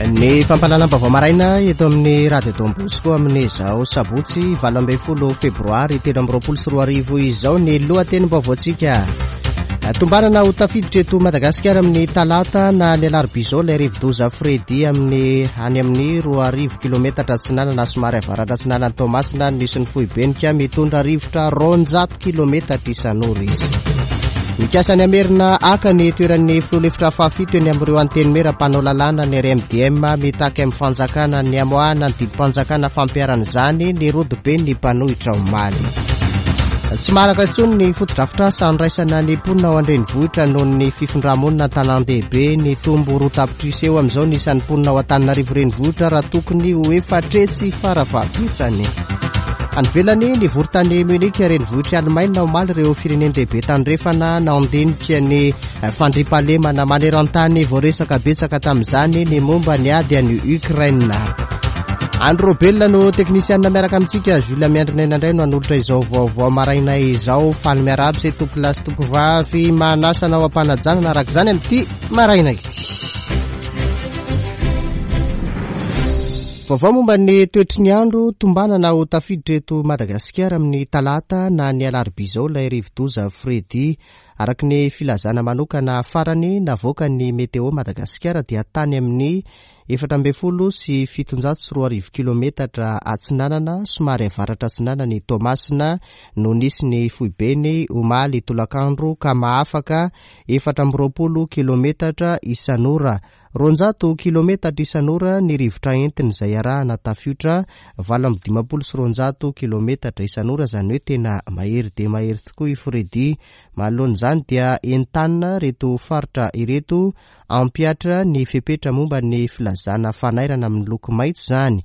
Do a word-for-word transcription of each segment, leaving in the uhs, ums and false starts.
Ny fampahalalam-baovao maraina eto amin'ny Radio Don Bosco amin'izao sabotsy valo ambin'ny folo febroary telo amby roapolo sy roa arivo izao ny lohatenim-baovaontsika. Tombanana ho tafiditra eto Madagasikara amin'ny talata na ny alarobia izao ilay rivodoza Freddy amin'ny any amin'ny roa arivo kilometatra atsinanana somary avaratra atsinanan'i Toamasina no misy ny foibenika mitondra rivotra roanjato kilometatra isan'ora izy. Mikasa ny hamerina haka ny toeran'ny filoha lefitra fahafito eny amin'ireo antenimiera mpanao lalàna ny R M D M mitaky amin'ny fanjakana ny hamoahana ny didim-panjakana fampiharana izany ny rodoben'ny mpanohitra omaly. Tsy maharaka intsony ny fotodrafitrasa andraisana ny mponina ao an-drenivohitra noho ny fifindramonina an-tanàn-dehibe. Nitombo roa tapitrisa eo amin'izao ny isan'ny mponina ao Antananarivo renivohitra raha tokony ho efatretsy farafahabetsany. Any ivelany, nivory tany Munich renivohitr'i Allemagne omaly ireo firenen-dehibe tandrefana nandinika ny fandriampahalemana maneran-tany. Voaresaka betsaka tamin'izany ny momba ny ady any Ukraine. Andry Robelina no teknisianina miaraka amintsika. Jules Miandrinaina indray no hanolotra izao vaovao maraina izao. Faly miarahaba izay tompolahy sy tompovavy manasa anao am-panajanana araka izany amin'ity maraina ity. Vaovao momba ny toetry ny andro tombanana ho tafiditra eto Madagasikara amin'ny talata na ny alarobia izao ilay rivodoza Freddy. Araka ny filazana manokana farany navoakan'ny Météo Madagasikara dia tany amin'ny efatra ambin'ny folo sy fitonjato sy roa arivo kilometatra atsinanana somary avaratra atsinanana i Toamasina no nisy ny foibeny omaly tolakandro ka mahafaka efatra amby roapolo kilometatra isan'ora. Roanjato kilometatra isan'ora ny rivotra entiny izay arahana tafiotra valo amby dimampolo sy roanjato kilometatra isan'ora, izany hoe tena mahery dia mahery tokoa i Freddy. Manoloana izany dia entanina ireto faritra ireto hampihatra ny fepetra momba ny filazana fanairana amin'ny loko maitso izany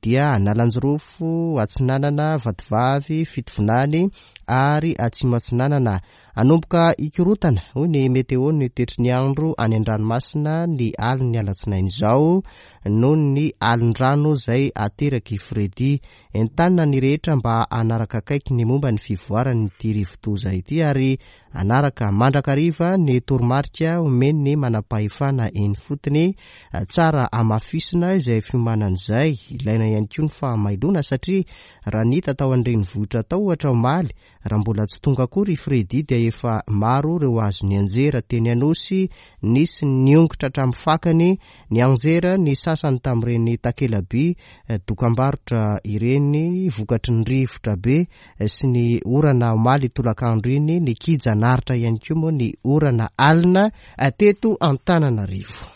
dia Analanjirofo, Atsinanana, Vatovavy, Fitovinany ary Atsimo Atsinanana. Hanomboka hikorotana hoy ny météo ny toetry ny andro any an-dranomasina ny alin'ny alatsinainy izao noho ny alin-drano izay ateraky Freddy. Entanina ny rehetra mba hanaraka akaiky ny momba ny fivoaran'ity rivodoza ity ary hanaraka mandrakariva ny toromarika omen'ny manam-pahefana eny fotony. Tsara hamafisina izay fiomanana izay. Ilaina ihany koa ny fahamailona satria raha ny hita tao an-drenivohitra tao ohatra omaly, raha mbola tsy tonga akory i Freddy dia efa maro ireo azo nianjera teny Anosy, nisy niongotra hatramin'ny fakany, nianjera ny sasany tamin'ireny takelaby dokam-barotra ireny vokatry ny rivotra be sy ny orana omaly tolakandro iny. Nikija naritra ihany koa moa ny orana alina teto Antananarivo.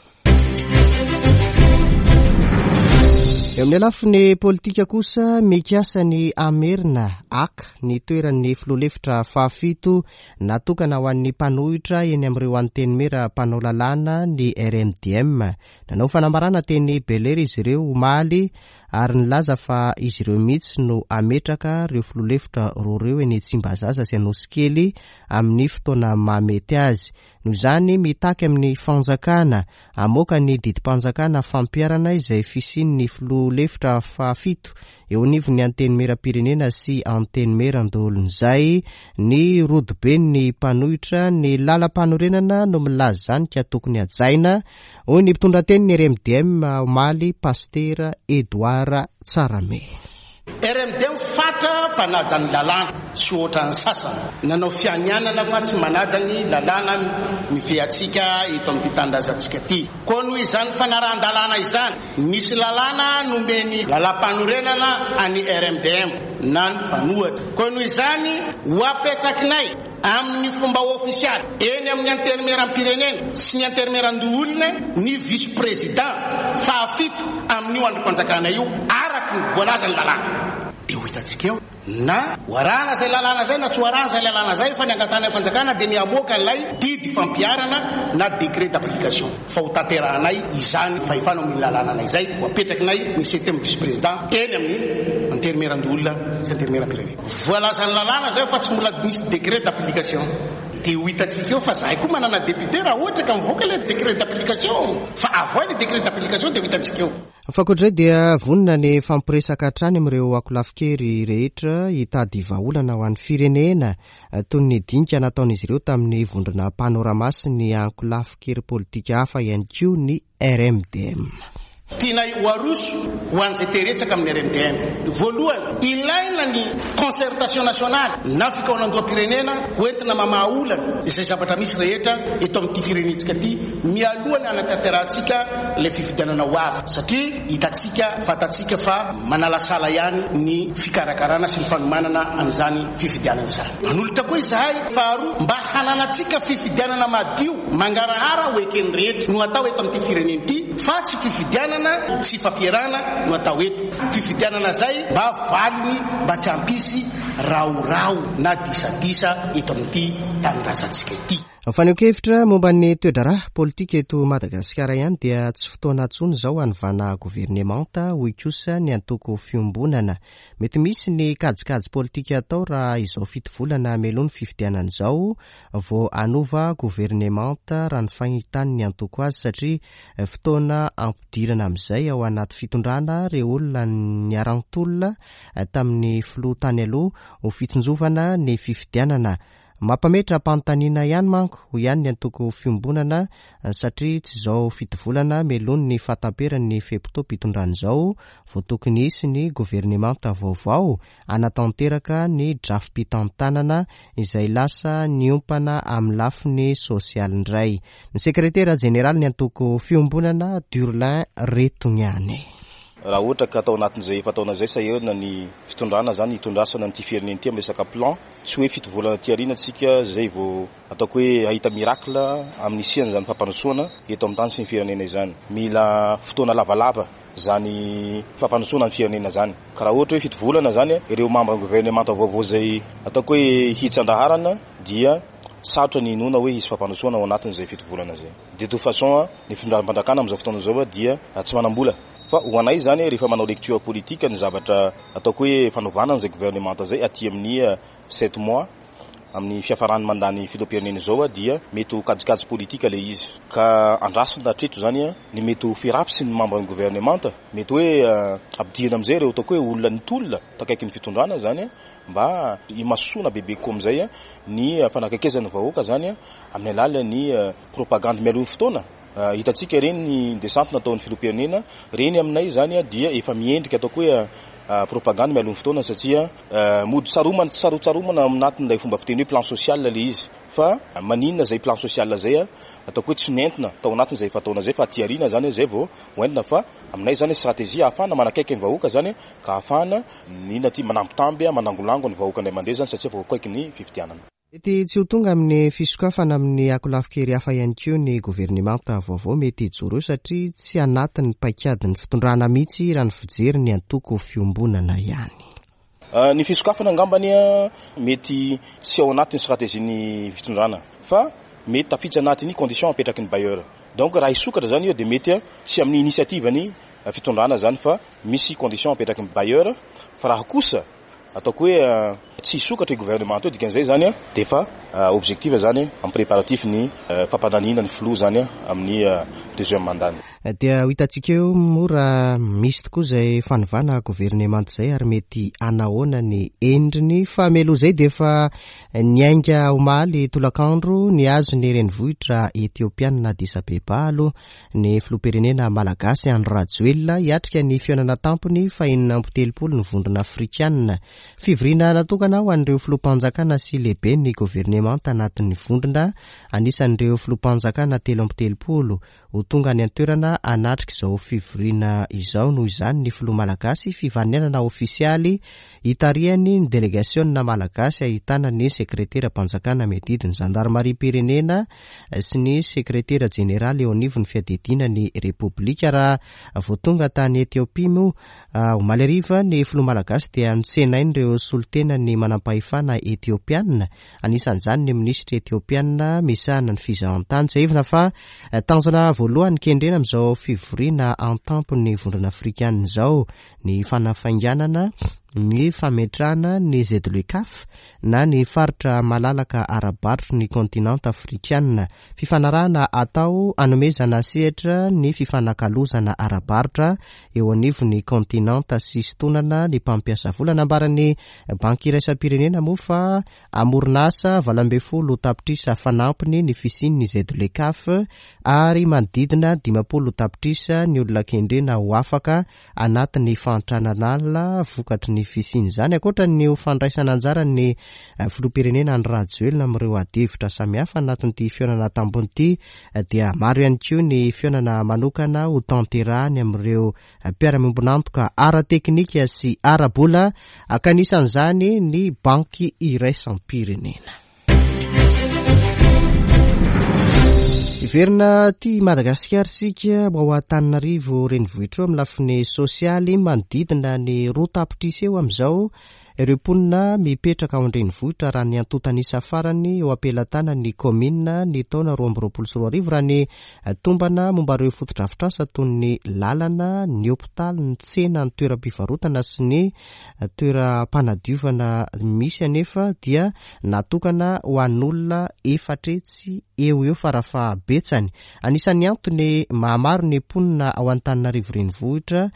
Eo amin'ny lafiny politika kosa, mikasa ny hamerina haka ny toeran'ny filoha lefitra fahafito natokana ho an'ny mpanohitra eny amin'ireo antenimiera mpanao lalàna ny R M D M. Nanao fanambarana teny Bel-Air izy ireo omaly ary nilaza fa izy ireo mihitsy no hametraka ireo filoha lefitra roa ireo eny Tsimbazaza sy Anosikely amin'ny fotoana mahamety azy. Noho izany, mitaky amin'ny fanjakana hamoaka ny didim-panjakana fampiharana izay fisian'ny filoha lefitra fahafito eo anivon'ny antenimieram-pirenena sy antenimieran-doholon'izay ny rodoben'ny mpanohitra. Ny lalam-panorenana no milaza izany ka tokony hajaina, hoy ny mpitondra tenin'ny R M D M omaly, Pastera Edouard Tsarame. R M D M fatra mpanaja ny lalàna, tsy ohatran'ny sasany. Nanao fianianana fa tsy manaja ny lalàna mifehy antsika eto amin'ity tanindrazantsika ity. Koa noho izany fanarahan-dalàna izany, nisy lalàna nomeny lalam-panorenana an'ny R M D M na ny mpanohitra. Koa noho izany, ho apetrakinay amin'ny fomba ofisialy eny amin'ny antenimieram-pirenena sy ny antenimieran-doholona ny vice-président fahafito amin'io andrim-panjakana io araka ny voalazan'ny lalàna. Dia ho hitantsika eo na ho arahana izay lalàna izay na tsy ho arahana izay lalàna izay, fa ny angatahana fanjakana dia ny hamoaka ilay didy fampiharana na décret d'application. Fa ho tanterahanay izany fahefana amin'ny lalàna izay, ho apetrakinay ny septième vice-président eny amin'ny antenimieran-doholona sy antenimieram-pirenena. Voalazan'ny lalàna izay fa tsy mbola misy décret d'application. Dia ho hitantsika eo fa zahay koa manana député raha ohatra ka mivoaka ilay décret d'application. Fa avoay ilay décret d'application dia ho hitantsika eo. Fa ankoatr'izay dia vonona ny fampiresaka hatrany amin'ireo ankolafin-kery rehetra hitady vahaolana ho an'ny firenena toy ny dinika nataon'izy ireo tamin'ny vondrona Panorama sy ny ankolafin-kery politika hafa ihany koa ny R M D M. Tianay ho aroso ho an'izay te-resaka amin'ny R M D M. Voalohany, ilaina ny concertation nationale na fikaonandoham-pirenena hoentina mamaha olana izay zavatra misy rehetra eto amin'ity firenentsika ity mialoha ny hanatanterahantsika ilay fifidianana ho avy, satria hitantsika, fantatsika fa manalasala ihany ny fikarakarana sy ny fanomanana an'izany fifidianana izany. Manolotra koa izahay faharoa mba hananantsika fifidianana madio mangarahara ho eken'ny rehetra no atao eto amin'ity firenena ity, fa tsy fifidianana tsy fampierana no atao eto. Fifidianana zay mba valiny mba tsy hampisy raorao na disadisa eto amin'ity tanindrazantsika ity. Fanehoan-kevitra momba ny toe-draharaha politika eto Madagasikara ihany dia tsy fotoana intsony izao hanovana governemanta, hoy kosa ny antoko Fiombonana. Mety misy ny kajikajy politika atao raha izao fito volana mialoha ny fifidianana izao vao hanova governemanta raha ny fahitan'ny antoko azy, satria fotoana ampidirana amin'izay ao anaty fitondrana ireo olona niara-nitolona tamin'ny filoha tany aloha ho fitsinjovana ny fifidianana. Mampametra-panontaniana ihany manko ho ihany ny antoko Fiombonana, satria tsy izao fito volana mialoha ny fahatamperan'ny fe-potoam-pitondrana izao vao tokony hisy ny governemanta vaovao hanatanteraka ny drafi-pitantanana izay lasa niompana amin'ny lafiny sosialy indray. Ny sekretera jeneraly ny antoko Fiombonana, Durlin Retogniane. Raha ohatra ka atao anatin'izay efa taona izay sahirana ny fitondrana zany hitondrasana an'ity firenena ity amin'ny resaka plan, tsy hoe fito volana aty aoriana tsika zay vao ataoko hoe hahita miracle amin'ny hisian'izany fampandrosoana eto amin'ny tany sy ny firenena izany. Mila fotoana lavalava zany fampandrosoana ny firenena zany. Ka raha ohatra hoe fito volana zany ireo membre ny gouvernemanta vaovao zay ataoko hoe hitsandaharana dia sarotra ny inoana hoe hisy fampandrosoana ao anatin'izay fito volana zay. De toute façon ny fitondram-panjakana amin'izao fotoana izao dia tsy manam-bola. Fa ho anay zany rehefa manao lecture politique ny zavatra ataoko hoe fanovana an'izay gouvernemanta zay aty amin'ny sept mois amin'ny fiafaran'ny mandany filoham-pirenena izao dia mety ho kajikajy politique le izy. Ka andrasana hatreto zany ny mety ho firafy sy ny membre ny gouvernemanta, mety hoe ampidirina amin'izay ireo ataoko hoe olona nitolona takaiky ny fitondrana zany mba himasoana bebe kokoa amin'izay ny fanakaikezan'ny vahoaka zany amin'ny alalan'ny propagande mialoha ny fotoana. Hitantsika ireny ny descente nataon'ny filoham-pirenena, ireny aminay zany dia efa miendrika ataoko hoe propagande mialoha ny fotoana, satria mody saromana, sarotsaromana anatin'ilay fomba fiteny hoe plan social le izy. Fa maninona zay plan social zay ataoko hoe tsy nentina tao anatin'izay efa taona zay, fa aty aoriana zany zay vao hoentina. Fa aminay zany stratégie ahafahana manakaiky ny vahoaka zany, ka ahafahana nina ty manambitamby manangolango ny vahoaka indray mandeha zany, satria vao akaiky ny fifidianana. Mety tsy ho tonga amin'ny fisokafana amin'ny akolafikery hafa ihany koa ny governemanta vaovao mety hijoro eo, satria tsy anatin'ny paikadin'ny fitondrana mihitsy raha ny fijery ny antoko Fiombonana ihany. Ny fisokafana angambany mety tsy ao anatin'ny stratégie ny fitondrana, fa mety tafiditra anatin'ny condition apetraky ny bailleur. Donc raha hisokatra zany io dia mety tsy amin'ny initiative ny fitondrana zany, fa misy condition apetraky ny bailleur. Fa raha kosa ataoko hoe tsy hisokatra io gouvernement io, dikan'izay zany dia efa objectif zany amin'ny préparatif ny fampandanina ny filoha zany amin'ny deuxième mandat. Dia ho hitantsika eo moa raha misy tokoa izay fanovana governemanta izay ary mety hanahoana ny endriny. Fa mialoha izay dia efa niainga omaly tolakandro nihazo ny renivohitra Etiopiana Addis Abeba aloha ny filoham-pirenena malagasy Andry Rajoelina hiatrika ny fihaonana tampony fahenina amby telopolo ny vondrona afrikanina. Fivoriana natokana ho an'ireo filoham-panjakana sy lehibe ny governemanta anatin'ny vondrona, anisan'ireo filoham-panjakana telo amby telopolo ho tonga any an-toerana hanatrika izao fivoriana izao. Noho izany ny filoha malagasy fivaninana ofisialy hitarihany ny delegasiona malagasy ahitana ny sekreteram-panjakana miadidy ny zandarimariam-pirenena sy ny sekretera jeneraly eo anivon'ny fiadidiana ny Repoblika. Raha vao tonga tany Etiopia moa omaly hariva ny filoha malagasy dia notsenain'ireo solontenan'ny manam-pahefana etiopiana, anisan'izany ny minisitra etiopiana misahana ny fizahantany. Tsiahivina fa tanjona voalohany kendrena amin'izao fivoriana an-tampon'ny vondrona afrikanina izao ny fanafainganana ny fametrahana ny Z L E C A F na ny faritra malalaka ara-barotry ny kontinanta afrikanina, fifanarahana atao hanomezana sehatra ny fifanakalozana ara-barotra eo anivon'ny kontinanta sy sintonana ny mpampiasa vola. Nambaran'ny banky iraisam-pirenena moa fa hamoron'asa valo ambin'ny folo tapitrisa fanampiny ny fisian'ny Z L E C A F ary manodidina dimampolo tapitrisa ny olona kendrena ho afaka anatin'ny fahantrana lalina vokatry ny fisian'izany. Ankoatra ny ho fandraisana anjara ny filoham-pirenena Andry Rajoelina amin'ireo adihevitra samihafa anatin'ity fihaonana an-tampony ity dia maro ihany koa ny fihaonana manokana ho tanterahany amin'ireo mpiara-miombon'antoka ara-teknika sy ara-bola, ka anisan'izany ny banky iraisam-pirenena. Hiverina aty Madagasikara isika ao Antananarivo renivohitra eo amin'ny lafiny sosialy. Manodidina ny roa tapitrisa eo amin'izao ireo mponina mipetraka ao an-drenivohitra raha ny antontan'isa farany eo am-pelatanan'ny kaominina ny taona roa amby roapolo sy roa arivo, raha ny tombana momba ireo fotodrafitrasa toy ny lalana, ny hopitaly, ny tsena, ny toeram-pivarotana sy ny toeram-panadiovana misy anefa dia natokana ho an'olona efatra hetsy eo eo farafahabetsany. Anisan'ny antony mahamaro ny mponina ao Antananarivo renivohitra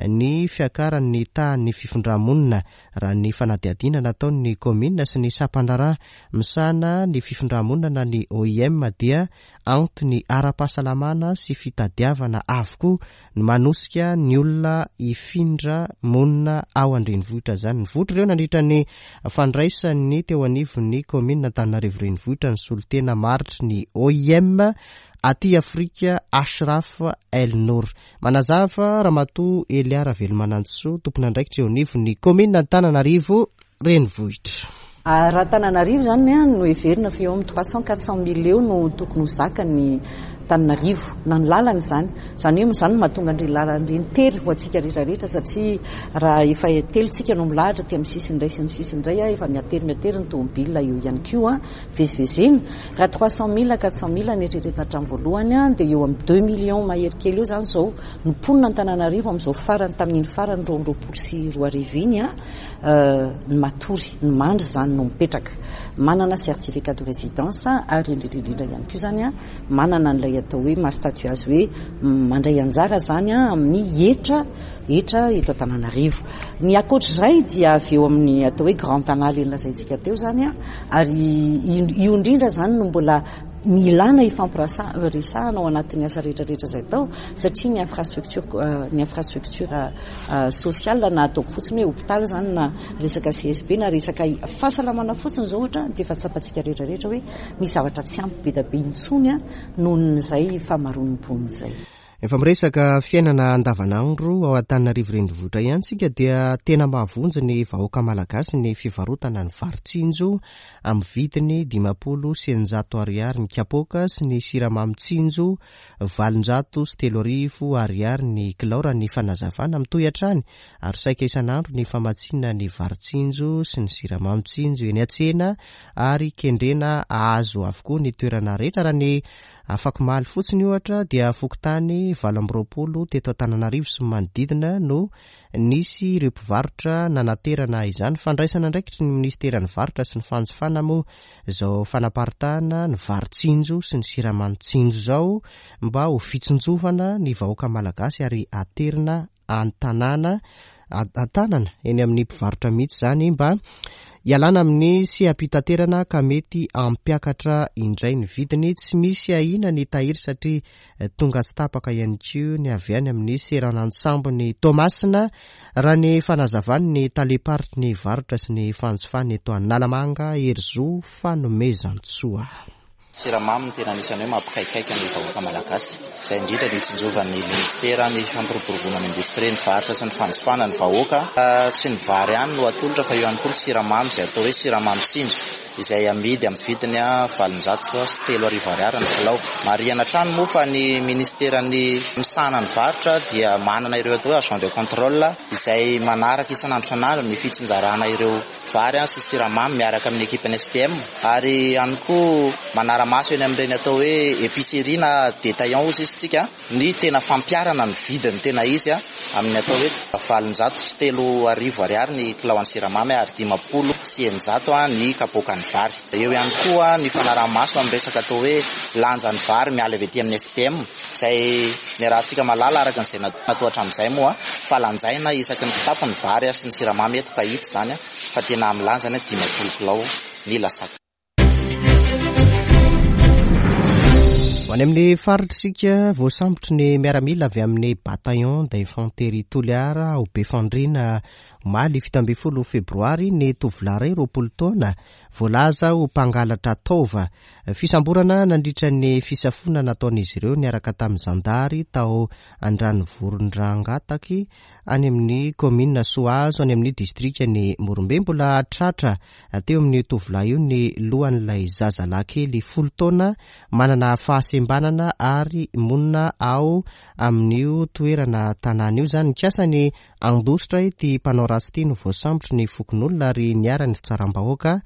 ny fiakaran'ny tahan'ny fifindramonina, raha ny fanadihadiana nataon'ny kaominina sy ny sampan-draharaha misahana ny fifindramonina na ny O I M dia antony ara-pahasalamana sy fitadiavana avokoa ny manosika ny olona hifindra monina ao an-drenivohitra izany. Nivoitra ireo nandritra ny fandraisan'ny teo anivon'ny kaominina Antananarivo renivohitra ny solontena maritry ny O I M aty Afrika Ashraf El Nour. Manazava Ramatoa Elia Ravelomanantsoa, tompon'andraikitra eo anivon'ny kaominina Antananarivo renivohitra. Raha Antananarivo izany no heverina fa eo amin'ny trois cent quatre cent mille eo no tokony ho zakan'ny Antananarivo na ny lalana izany. Izany hoe izany no mahatonga an'ireny lalana ireny tery ho antsika rehetrarehetra, satria raha efa telo tsika no milahatra aty amin'ny sisiny iray sy amin'ny sisiny iray, efa miatery miatery ny tomobile eo ihany koa vezivezena. Raha trois cent mille quatre cent mille ny eritreretina hatramin'ny voalohany dia eo amin'ny deux millions mahery kely eo izany izao no mponina Antananarivo amin'izao farany tamin'iny farany roa amby roapolo sy roa arivo iny, ny matory, ny mandry izany no mipetraka, manana certificat de résidence ary indrindra indrindra ihany koa izany manana an'ilay atao hoe maha statut azy hoe mandray anjara izany amin'ny hetra, hetra eto Antananarivo. Ny ankoatr'izay dia avy eo amin'ny atao hoe Grand Tana ilay nolazaintsika teo izany, ary io indrindra izany no mbola milana ifampiresahana ao anatin'ny asa rehetrarehetra izay atao, satria ny infrastructure, ny infrastructure sociale na ataoko fotsiny hoe hopitaly izany na resaka C S B na resaka fahasalamana fotsiny izao ohatra dia efa tsapantsika rehetrarehetra hoe misy zavatra tsy ampy be dia be intsony nohon'izay famaroan'ny mponina izay. Efa miresaka fiainana andavanandro ao Antananarivo renivohitra ihany isika dia tena mahavonjy ny vahoaka malagasy ny fivarotana ny vary tsinjo amin'ny vidiny dimampolo sy eninjato ariary ny kapoaka sy ny siramamy tsinjo valonjato sy telo arivo ariary ny kilao, raha ny fanazavana mitohy hatrany ary saika isan'andro ny famatsiana ny vary tsinjo sy ny siramamy tsinjo eny an-tsena ary kendrena ahazo avokoa ny toerana rehetra. Raha ny afakomaly fotsiny ohatra dia fokontany valo amby roapolo teto Antananarivo sy manodidina no nisy ireo mpivarotra nanaterana izany. Fandraisana andraikitry ny ministeran'ny varotra sy ny fanjifana moa izao fanaparitahana ny vary tsinjo sy ny siramamy tsinjo izao mba ho fitsinjovana ny vahoaka malagasy ary aterina an-tanàna, an-tanana eny amin'ny mpivarotra mihitsy izany mba hialana amin'ny seha-pitaterana ka mety hampiakatra indray ny vidiny. Tsy misy ahiana ny tahiry satria tonga tsy tapaka ihany koa ny avy any amin'ny seranan-tsambon'ny Toamasina, raha ny fanazavan'ny tale-paritry ny varotra sy ny fanjifana eto Analamanga, Herizo Fanomezantsoa. Siramamy no tena anisan'ny hoe mampikaikaika ny vahoaka malagasy. Izay indrindra no itsinjovan'ny ministera ny fampiroboroboana ny indostria, ny varotra sy ny fanjifana ny vahoaka. Tsy ny vary ihany no atolotra fa eo ihany koa ny siramamy izay atao hoe siramamy tsinjo, izay amidy amin'ny vidiny valonjato sy telo arivo ariary ny kilao. Marihana hatrany moa fa ny ministeran'ny misahana ny varotra dia manana ireo atao hoe agent de contrôle izay manaraka isan'andro isan'andro ny fitsinjarana ireo vary sy siramamy miaraka amin'ny ekipan'ny S P M, ary ihany koa manara-maso eny amin'ireny atao hoe épicerie na détaillant hozy izy tsika ny tena fampiharana ny vidiny tena izy amin'ny atao hoe valonjato sy telo arivo ariary ny kilao an'ny siramamy ary dimampolo sy eninjato ny kapoakan'ny vary. Eo ihany koa ny fanaraha-maso amin'ny resaka atao hoe lanjan'ny vary miala avy aty amin'ny S P M izay niarahantsika mahalala araka an'izay natao hatramin'izay moa fa lanjaina isaky ny kitapo ny vary sy ny siramamy eto ka hita izany fa tena amin'ny lanjany dimampolo kilao ny lasaka. Ho Ho any amin'ny faritra isika, voasambotry ny miaramila avy amin'ny bataillon d'infanterie Toliara ao Befandriana omaly fito ambin'ny folo febroary ny tovolahy iray roapolo taona voalaza ho mpangalatra taova. Fisamborana nandritra ny fisafoana nataon'izy ireo niaraka tamin'ny zandary tao Andranovoron-Drangataky any amin'ny kaominina Soahazo any amin'ny distrikan'i Morombe. Mbola tratra teo amin'ny tovolahy io ny lohan'ilay zazalahy kely folo taona manana fahasembanana ary monina ao amin'io toerana tanàna io. Izany nikasa ny handositra ity mpanao ratsy ity no voasambotry ny fokonolona ary niharan'ny fitsaram-bahoaka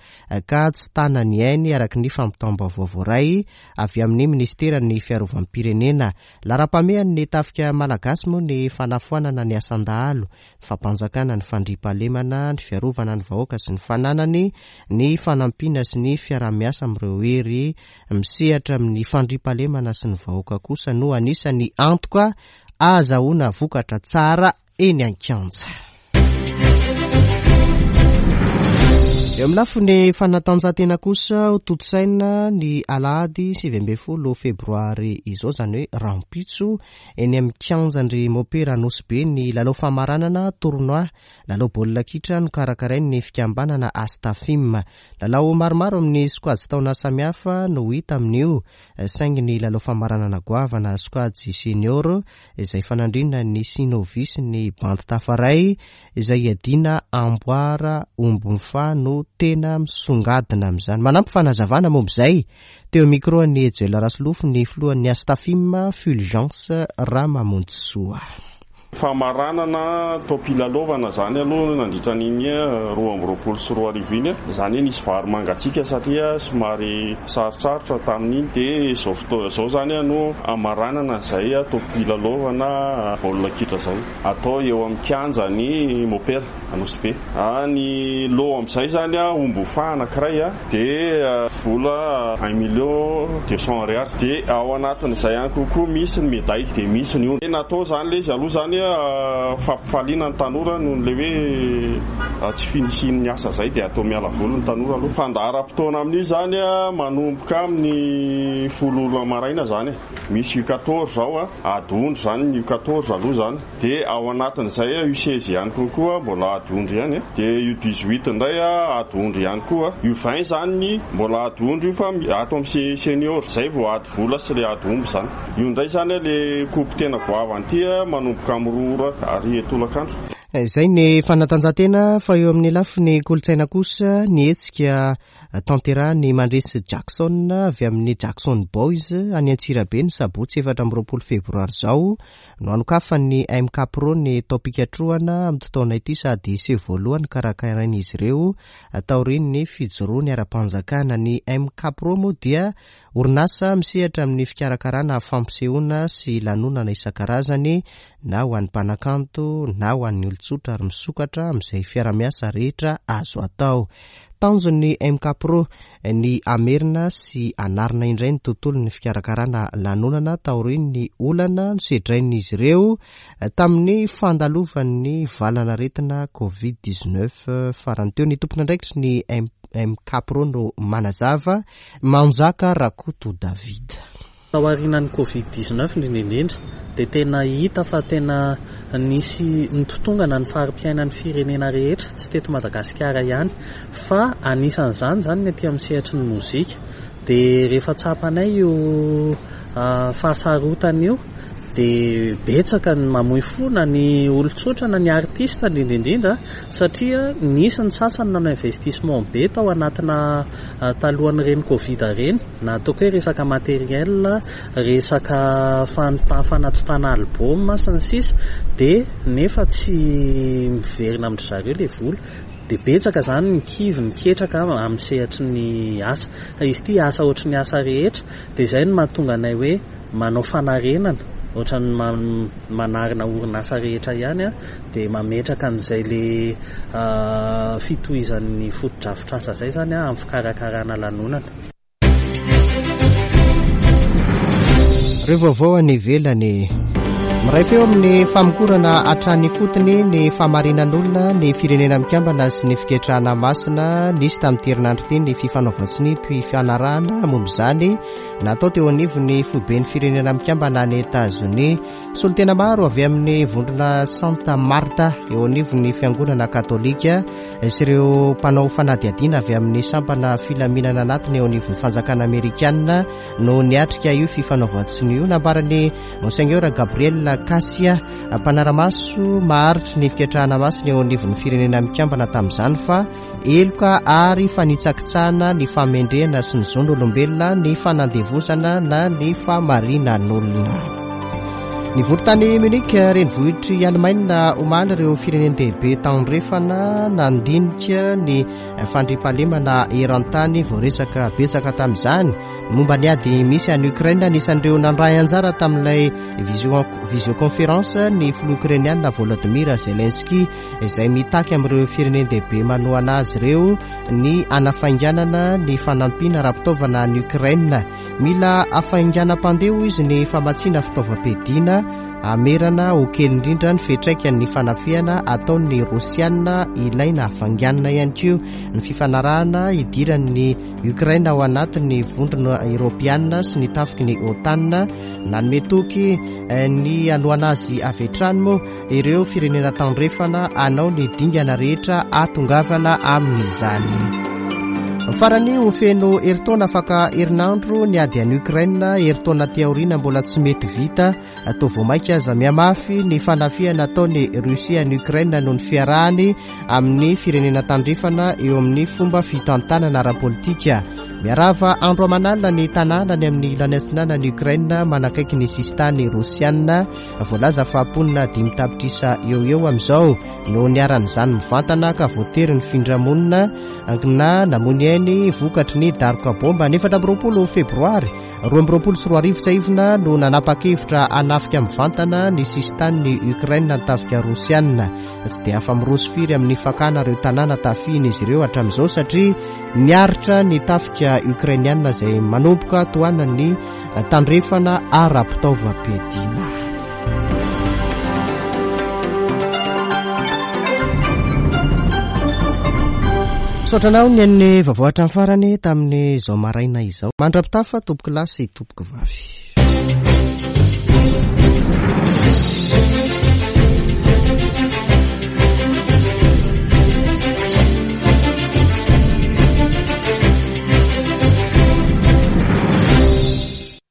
ka tsy tana ny ainy araka ny fampitam-baovao voaray avy amin'ny ministeran'ny fiarovam-pirenena. Laharam-pahamehan'ny tafika malagasy moa ny fanafoanana ny asan-dahalo, ny fampanjakana ny fandriampahalemana, ny fiarovana ny vahoaka sy ny fananany, ny fanampiana sy ny fiaraha-miasa amin'ireo hery misehatra amin'ny fandriampahalemana sy ny vahoaka kosa no anisan'ny antoka ahazahoana vokatra tsara eny an-kianja. Eo amin'ny lafiny fanatanjahantena kosa ho tontosaina ny alahady sivy ambin'ny folo febroary izao, izany hoe rahampitso, eny amin'ny kianjan-dry Mopera Nosy Be ny lalao famaranana tournoi lalao baolina kitra nokarakarain'ny fikambanana Astafim. Lalao maromaro amin'ny sokajy taona samihafa no hita amin'io, saingy ny lalao famaranana goavana sokajy senior izay fanandriana ny Sinovis ny bandy tafaray izay iadiana amboara ombomfa no tena misongadina amin'izany. Manampy fanazavana momba izay teo micro ny Joel Rasolofo ny filohan'ny Astafim Fulgence Ramamonjisoa. Famaranana taom-pilalaovana zany aloha nandritra n'iny roa amby roapolo sy roa arivo iny, zany hoe nisy vary mangatsiaka satria somary sarotsarotra tamin'iny, dia izao fotoana izao zany no amaranana izay taom-pilalaovana baolina kitra izao atao eo amin'ny kianjan'ny Mopera Nosy Be. Ny lot amin'izay zany omby fa anankiray dia vola un million deux cents ariary, dia ao anatin'izay ihany kokoa misy ny médaille, dia misy ny ondry. Natao zany ilay izy aloha zany fampifaliana ny tanora noho ny hoe tsy finisian'ny asa zay, dia atao miala voly ny tanora aloha. Fandaharam-potoana amin'io zany manomboka amin'ny folo ora maraina zany, misy U quatorze zao, ady ondry zany ny U quatorze aloha zany, dia ao anatin'izay U seize ihany kokoa mbola ady ondry ihany, dia U dix-huit indray ady ondry ihany koa, U vingt zany mbola ady ondry io fa ato amin'ny senior zay vao ady vola sy le ady omby zany. Io indray zany le coupe tena goavana ity manomboka amin'ny roa ora ary tolakandro. Izay ny fanatanjahantena, fa eo amin'ny lafiny kolontsaina kosa ny hetsika tanterahan'ny Mandresy Jackson avy amin'ny Jackson Boys any Antsirabe ny sabotsy efatra amby roapolo febroary izao no hanokafan'ny M K Pro ny taom-pikatrohana amin'ity taona ity sady seho voalohany karakarain'izy ireo taorian'ny fijoroany ara-panjakana. Ny M K Pro moa dia orinasa misehatra amin'ny fikarakarana fampisehoana sy lanonana isan-karazany na ho an'ny mpanakanto na ho an'ny olon-tsotra ary misokatra amin'izay fiarahamiasa rehetra azo atao. Tanjon'ny M K Pro ny hamerina sy hanarina indray ny tontolon'ny fikarakarana lanonana taorian'ny olana nosedrain'izy ireo tamin'ny fandalovan'ny valanaretina Covid dix-neuf farany teo. Ny tompon'andraikitry ny M K Pro no manazava, Manjaka Rakoto David. Taorian'ny Covid dix-neuf indrindra indrindra dia tena hita fa tena nisy nitotongana ny fari-piainan'ny firenena rehetra, tsy teto Madagasikara ihany, fa anisan'izany zany ny aty amin'ny sehatry ny mozika. Dia rehefa tsapanay io fahasarotana io dia betsaka ny mamoy fo na ny olon-tsotra na ny artiste indrindra indrindra, satria nisy ny sasany nanao investissement be tao anatina talohan'ireny Covid ireny, na ataoko hoe resaka matériel, resaka fan-, fanatontana album sy ny sisa, dia nefa tsy miverina amin-dry zareo ilay vola. Dia betsaka zany ny kivy miketraka amin'ny sehatry ny asa. Fa izy ity asa ohatry ny asa rehetra, dia izay no mahatonga anay hoe manao fanarenana, ohatran'ny man-, manarina orinasa rehetra ihany a, dia mametraka an'izay le fitohizan'ny fotodrafitrasa izay zany a, amin'ny fikarakarana lanonana. Ireo vaovao any ivelany. Miray feo amin'ny famokorana hatrany fotony ny fahamarinan'olona ny firenena mikambana sy ny fiketrahana masina. Nisy tamin'ity herinandro ity ny fifanaovan-tsonia fifanarahana momba izany natao teo anivon'ny foiben'ny firenena mikambana any Etazonia. Solontena maro avy amin'ny vondrona Santa Marta eo anivon'ny fiangonana katolika sy ireo mpanao fanadihadiana avy amin'ny sampana filaminana anatiny eo anivon'ny fanjakana amerikana no niatrika io fifanaovan-tsonia io. Nambaran'ny Monseigneur Gabriel Kasia, mpanara-maso maharitry ny fiketrahana masina eo anivon'ny firenena mikambana tamin'izany, fa heloka ary fanitsakitsahana ny fahamendrehana sy ny zon'olombelona ny fanandevozana na ny fahamarinan'olona. Nivory tany Munich, renivohitr'i Allemagne, omaly ireo firenen-dehibe tandrefana nandinika ny fandriampahalemana eran-tany. Voaresaka betsaka tamin'izany momba ny ady misy any Ukraine. Anisan'ireo nandray anjara tamin'ilay visioconférence ny filoha ukrainiana Volodymyr Zelensky, izay mitaky amin'ireo firenen-dehibe manohana azy ireo ny hanafainganana ny fanampiana ara-pitaovana any Ukraine. Mila hafainganam-pandeha izy ny famatsiana fitaovam-piadiana hamerana ho kely indrindra ny fiantraikan'ny fanafihana ataon'ny Rosiana. Ilaina hafainganina ihany koa ny fifanarahana hidiran'ny Ukraine ao anatin'ny vondrona eoropeana sy ny tafiky ny OTAN. Nanome toky ny hanohana azy avy hatrany moa ireo firenena tandrefana hanao ny dingana rehetra hahatongavana amin'izany. Farany, ho feno herintaona afaka herinandro ny ady any Ukraine. Herintaona aty aoriana mbola tsy mety vita. Atao vao mainka aza mihamafy ny fanafihana ataon'ny Rusia any Ukraine noho ny fiarahany amin'ny firenena tandrefana eo amin'ny fomba fitantanana ara-politika. Miarava andro aman'alina ny tanàna any amin'ny ilany atsinanan'i Ukraine manakaiky ny sisintany rosiana. Voalaza fa mponina dimy tapitrisa eo eo amin'izao no niharan'izany mivantana ka voatery ny findramonina na namoy ainy vokatry ny daroka bomba. Ny efatra amby roapolo febroary roa amby roapolo sy roa arivo tsiahivina no nanapa-kevitra hanafika mivantana ny sisintanin'i Ukraine ny tafika rosiana. Tsy dia afa-miroso firy amin'ny fakana ireo tanàna tafihina izy ireo hatramin'izao satria niaritra ny tafika ukrainiana izay manomboka tohanan'ny tandrefana ara-pitaovam-piadiana. Misaotra anao ny an'ny vaovao hatramin'ny farany tamin'izao maraina izao. Mandra-pitafa tompoko lahy sy tompoko vavy.